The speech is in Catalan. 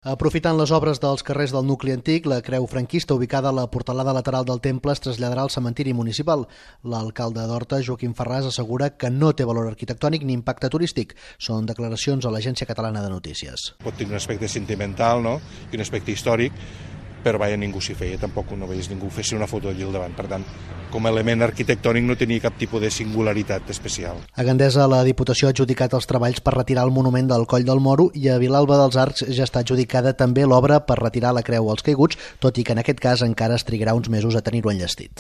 Aprofitant les obres dels carrers del nucli antic, la creu franquista ubicada a la portalada lateral del temple es traslladarà al cementiri municipal. L'alcalde d'Horta, Joaquim Ferràs, assegura que no té valor arquitectònic ni impacte turístic. Són declaracions a l'Agència Catalana de Notícies. Pot tenir un aspecte sentimental, no?, i un aspecte històric, però ningú s'hi feia, tampoc no veies ningú fer una foto allí al davant. Per tant, com a element arquitectònic no tenia cap tipus de singularitat especial. A Gandesa, la Diputació ha adjudicat els treballs per retirar el monument del Coll del Moro i a Vilalba dels Arcs ja està adjudicada també l'obra per retirar la creu als caiguts, tot i que en aquest cas encara es trigarà uns mesos a tenir-ho enllestit.